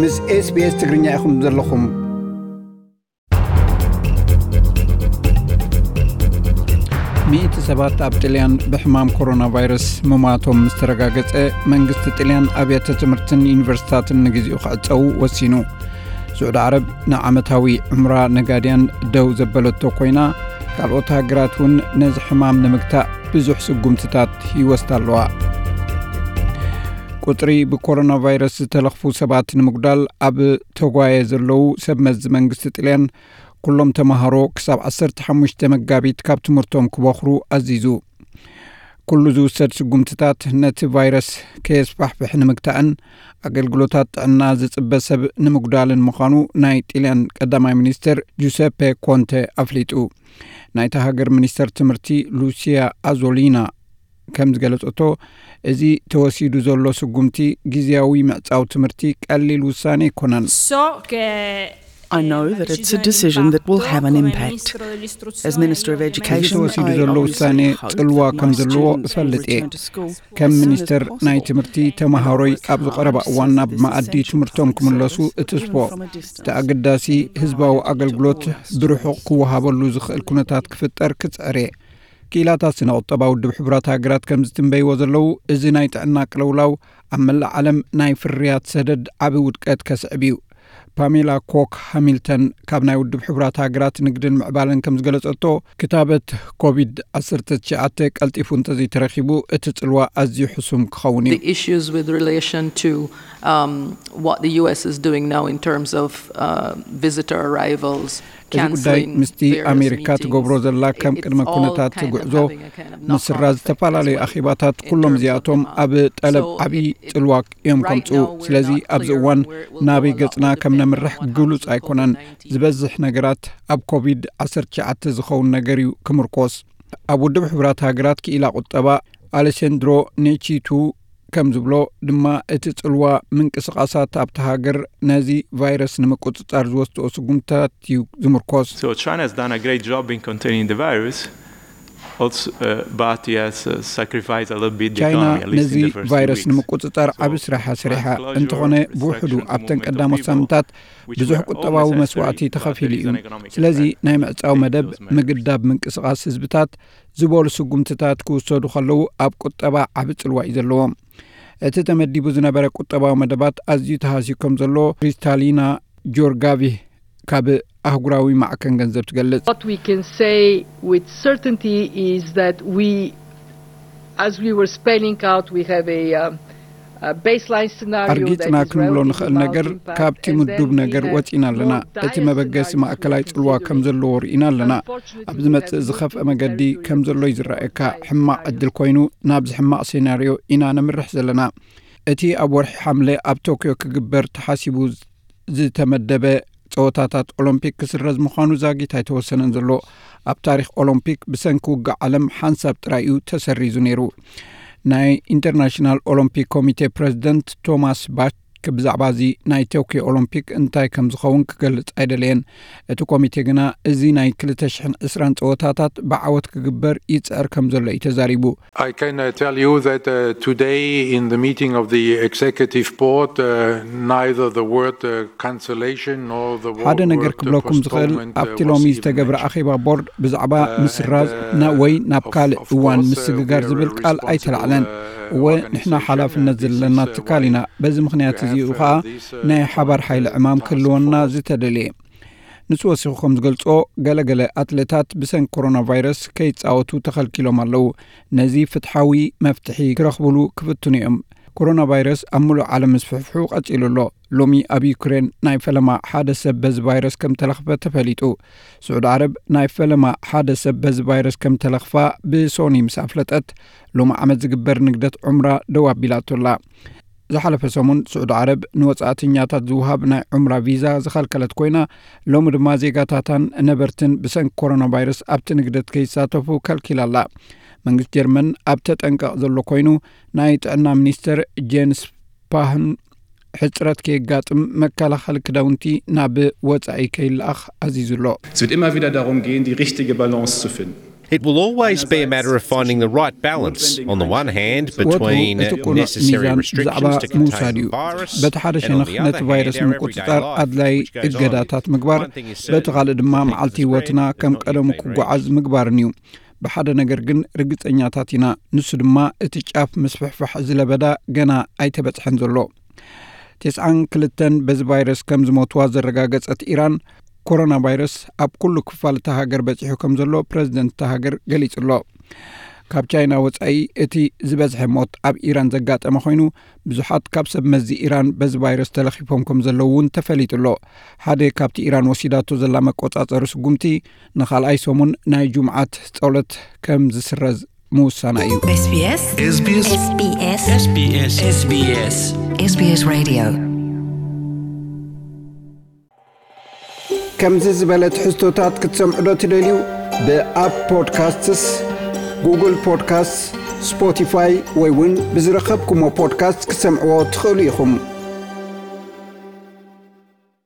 ምስ SBS ትግርኛ ኢኹም ዘለኹም። ሚእቲ ሰባት ኣብ ጥልያን ብሕማም ኮሮና ቫይረስ ምማቶም ምስ ተረጋገጸ፣ መንግስቲ ጥልያን ኣብያተ ትምህርትን ዩኒቨርሲታትን ንግዜኡ ክዕጸዉ ወሲኑ። ስዑዲ ዓረብ ንዓመታዊ ዑምራ ነጋድያን ደው ዘበለቶ ኮይና፣ ካልኦት ሃገራት እውን ነዚ ሕማም ንምግታእ ብዙሕ ስጉምትታት ይወስዳ ኣለዋ። ቁጽሪ ብኮሮና ቫይረስ ዝተለኽፉ ሰባት ንምጉዳል ኣብ ተጓየ ዘለዉ ሰብ መዚ መንግስቲ ጥልያን፣ ኩሎም ተማሃሮ ክሳብ ዓሰርተ ሓሙሽተ መጋቢት ካብ ትምህርቶም ክበኽሩ ኣዚዙ። ኩሉ ዝውሰድ ስጉምትታት ነቲ ቫይረስ ከየስፋሕፍሕ ንምግታእን ኣገልግሎታት ጥዕና ዝጽበ ሰብ ንምጉዳልን ምዃኑ ናይ ጥልያን ቀዳማይ ሚኒስትር ጁሰፔ ኮንተ ኣፍሊጡ። ናይታ ሃገር ሚኒስተር ትምህርቲ ሉሲያ ኣዞሊና ከም ዝገለጸቶ፣ እዚ ተወሲዱ ዘሎ ስጉምቲ ግዝያዊ ምዕጻው ትምህርቲ ቀሊል ውሳኔ ኣይኮነን። I know that it's a decision that will have an impact. As Minister of Education, ተወሲዱ ዘሎ ውሳኔ ጽልዋ ከም ዘለዎ እፈልጥ እየ። ከም ሚኒስተር ናይ ትምህርቲ፣ ተማሃሮይ ኣብ ዝቐረባ እዋን ናብ መኣዲ ትምህርቶም ክምለሱ እትስፎ። እቲ ኣገዳሲ ህዝባዊ ኣገልግሎት ብርሑቕ ክወሃበሉ ዝኽእል ኩነታት ክፍጠር ክጽዕር እየ። ክኢላታት ስነ ቁጠባ ውድብ ሕቡራት ሃገራት ከም ዝትንበይዎ ዘለዉ፣ እዚ ናይ ጥዕና ቅልውላው ኣብ መላእ ዓለም ናይ ፍርያት ሰደድ ዓቢ ውድቀት ከስዕብ እዩ። ፓሜላ ኮክ ሃሚልተን ካብ ናይ ውድብ ሕቡራት ሃገራት ንግድን ምዕባለን ከም ዝገለጸቶ፣ ክታበት ኮቪድ ዓሰርተ ትሽዓተ ቀልጢፉ እንተዘይተረኺቡ፣ እቲ ጽልዋ ኣዝዩ ሕሱም ክኸውን እዩ። The issues with relation to um, what the U S is doing now in terms of uh, visitor arrivals, እዚ ጉዳይ ምስቲ ኣሜሪካ ትገብሮ ዘላ ከም ቅድመ ኩነታት ጉዕዞ ምስራ ዝተፈላለዩ ኣኼባታት፣ ኩሎም እዚኣቶም ኣብ ጠለብ ዓብዪ ጽልዋ እዮም ከምጽኡ። ስለዚ ኣብዚ እዋን ናበይ ገጽና ከም ነምርሕ ግሉጽ ኣይኮነን። ዝበዝሕ ነገራት ኣብ ኮቪድ ዓሰርተ ትሽዓተ ዝኸውን ነገር እዩ ክምርኮስ። ኣብ ውድብ ሕቡራት ሃገራት ክኢላ ቁጠባ ኣሌሴንድሮ ኔቺቱ ከም ዝብሎ ድማ፣ እቲ ጽልዋ ምንቅስቓሳት ኣብቲ ሃገር ነዚ ቫይረስ ንምቁጽጻር ዝወስድኦ ስጉምትታት እዩ ዝምርኮስ። So China has done a great job in containing the virus, also, uh, but he has uh, sacrificed a little bit the ቻይና economy, at least ነዚ in the first few ቫይረስ weeks. ንምቁጽጻር ዓቢ ስራሕ እያ ሰሪሓ። እንተኾነ ብውሕዱ ኣብተን ቀዳሞት ሳምንታት ብዙሕ ቁጠባዊ መስዋእቲ ተኸፊሉ እዩ። ስለዚ ናይ ምዕጻው መደብ፣ ምግዳብ ምንቅስቓስ ህዝብታት ዝበሉ ስጉምትታት ክውሰዱ ከለዉ፣ ኣብ ቁጠባ ዓቢ ጽልዋ እዩ ዘለዎም። እቲ ተመዲቡ ዝነበረ ቁጠባዊ መደባት ኣዝዩ ተሃስዩ ከም ዘሎ ክሪስታሊና ጆርጋቪ ካብ ኣህጉራዊ ማዕከን ገንዘብ ትገልጽ። What we can say with certainty is that we, as we were spelling out, we have a, um, a baseline scenario that ኣርጊጽና is ክንብሎ relatively ንኽእል mild ነገር፣ impact, ካብቲ and ምዱብ then ነገር the ወጺና ኣለና። more እቲ dire መበገሲ scenarios ማእከላይ we ጽልዋ ከም considering. ዘለዎ ርኢና ኣለና። Unfortunately, ኣብ we ዝመጽእ have ዝኸፍአ not መገዲ been very ከም ዘሎ clear ይዝረኣየካ። by ሕማቕ time. ዕድል ኮይኑ ናብ ዝሕማቕ ሴናርዮ ኢና ነምርሕ ዘለና። እቲ ኣብ ወርሒ ሓምለ ኣብ ቶክዮ ክግበር ተሓሲቡ ዝተመደበ ጸወታታት ኦሎምፒክ ክስረዝ ምዃኑ ዛጊት ኣይተወሰነን ዘሎ። ኣብ ታሪኽ ኦሎምፒክ ብሰንኪ ውግእ ዓለም ሓንሳብ ጥራይ እዩ ተሰሪዙ ነይሩ። ናይ ኢንተርናሽናል ኦሎምፒክ ኮሚቴ ፕረዚደንት ቶማስ ባች ብዛዕባ እዚ ናይ ቶክዮ ኦሎምፒክ እንታይ ከም ዝኸውን ክገልጽ ኣይደለየን። እቲ ኮሚቴ ግና እዚ ናይ ክልተ ሽሕን ዕስራን ጸወታታት ብዓወት ክግበር ይጽዕር ከም ዘሎ እዩ ተዛሪቡ። I can uh, tell you that uh, today in the meeting of the executive board, uh, neither the word uh, cancellation nor the wo- ሓደ ነገር word uh, ክብለኩም ዝኽእል፣ postponement uh, ኣብቲ was ሎሚ even ዝተገብረ mentioned. ኣኼባ ቦርድ ብዛዕባ Uh, ምስራዝ and, uh, ና ወይ ናብ of- ካልእ of እዋን course, uh, ምስግጋር we are ዝብል a ቃል responsible, ኣይተላዕለን። uh, እወ፣ ንሕና organization, ሓላፍነት and this ዘለና is, uh, ትካል why ኢና። we በዚ ምኽንያት have, እዚ እዩ uh, ኸኣ this, uh, ናይ ሓባር ሓይሊ ዕማም task ክህልወና force. ዝተደልየ። ንሱ ወሲኹ ከም ዝገልጾ፣ ገለገለ ኣትሌታት ብሰንኪ ኮሮና ቫይረስ ከይጻወቱ ተኸልኪሎም ኣለዉ። ነዚ ፍትሓዊ መፍትሒ ክረኽብሉ ክፍትኑ እዮም። ኮሮና ቫይረስ ኣብ ምሉእ ዓለም ምስፍሕፍሑ ቀጺሉ ኣሎ። ሎሚ ኣብ ዩክሬን ናይ ፈለማ ሓደ ሰብ በዚ ቫይረስ ከም ተለኽፈ ተፈሊጡ። ስዑዲ ዓረብ ናይ ፈለማ ሓደ ሰብ በዚ ቫይረስ ከም ተለኽፋ ብሶኒ ምስ ኣፍለጠት፣ ሎሚ ዓመት ዝግበር ንግደት ዑምራ ደው ኣቢላቶ ኣላ። ዝሓለፈ ሰሙን ስዑዲ ዓረብ ንወጻእተኛታት ዝውሃብ ናይ ዑምራ ቪዛ ዝኸልከለት ኮይና፣ ሎሚ ድማ ዜጋታታን ነበርትን ብሰንኪ ኮሮና ቫይረስ ኣብቲ ንግደት ከይሳተፉ ከልኪላ ኣላ። መንግስቲ ጀርመን ኣብ ተጠንቀቕ ዘሎ ኮይኑ፣ ናይ ጥዕና ሚኒስተር ጄንስ ፓህን ሕጽረት ከየጋጥም መከላኸሊ ክዳውንቲ ናብ ወጻኢ ከይለኣኽ ኣዚዙ ኣሎ። Es wird immer wieder darum gehen, die richtige Balance zu finden. It will always be a matter of finding the right balance, on the one hand, ወትሩ between እቲ ቁኑዕ necessary ሚዛን ብዛዕባ restrictions to ምውሳድ contain እዩ። the virus, በቲ ሓደ and on ሸነኽ the ነቲ other ቫይረስ hand, our ምቁጽጻር everyday life, ኣድላይ which goes on. እገዳታት ምግባር፣ One thing is በቲ certain, ካልእ ድማ the peak of the መዓልቲ spread ህይወትና has ከም not yet ቀደሙ been reached. ክጓዓዝ ምግባርን እዩ። ብሓደ ነገር ግን ርግጸኛታት ኢና። ንሱ ድማ እቲ ጫፍ ምስፍሕፋሕ ዝለበዳ ገና ኣይተበጽሐን ዘሎ። ተስዓን ክልተን በዚ ቫይረስ ከም ዝሞትዋ ዘረጋገጸት ኢራን፣ ኮሮና ቫይረስ ኣብ ኩሉ ክፋል እታ ሃገር በጺሑ ከም ዘሎ ፕረዚደንት እታ ሃገር ገሊጹ ኣሎ። ካብ ቻይና ወጻኢ እቲ ዝበዝሐ ሞት ኣብ ኢራን ዘጋጠመ ኮይኑ፣ ብዙሓት ካብ ሰብ መዚ ኢራን በዚ ቫይረስ ተለኺፎም ከም ዘለዉ እውን ተፈሊጡ ኣሎ። ሓደ ካብቲ ኢራን ወሲዳቶ ዘላ መቆጻጸሪ ስጉምቲ ንኻልኣይ ሰሙን ናይ ጁምዓት ጸሎት ከም ዝስረዝ ምውሳና እዩ። SBS SBS SBS SBS SBS SBS Radio. ከምዚ ዝበለ ትሕዝቶታት ክትሰምዑ ዶ ትደልዩ? ብኣፕ ፖድካስትስ፣ ጉግል ፖድካስትስ፣ ስፖቲፋይ ወይ እውን ብዝረኸብኩሞ ፖድካስት ክትሰምዕዎ ትኽእሉ ኢኹም።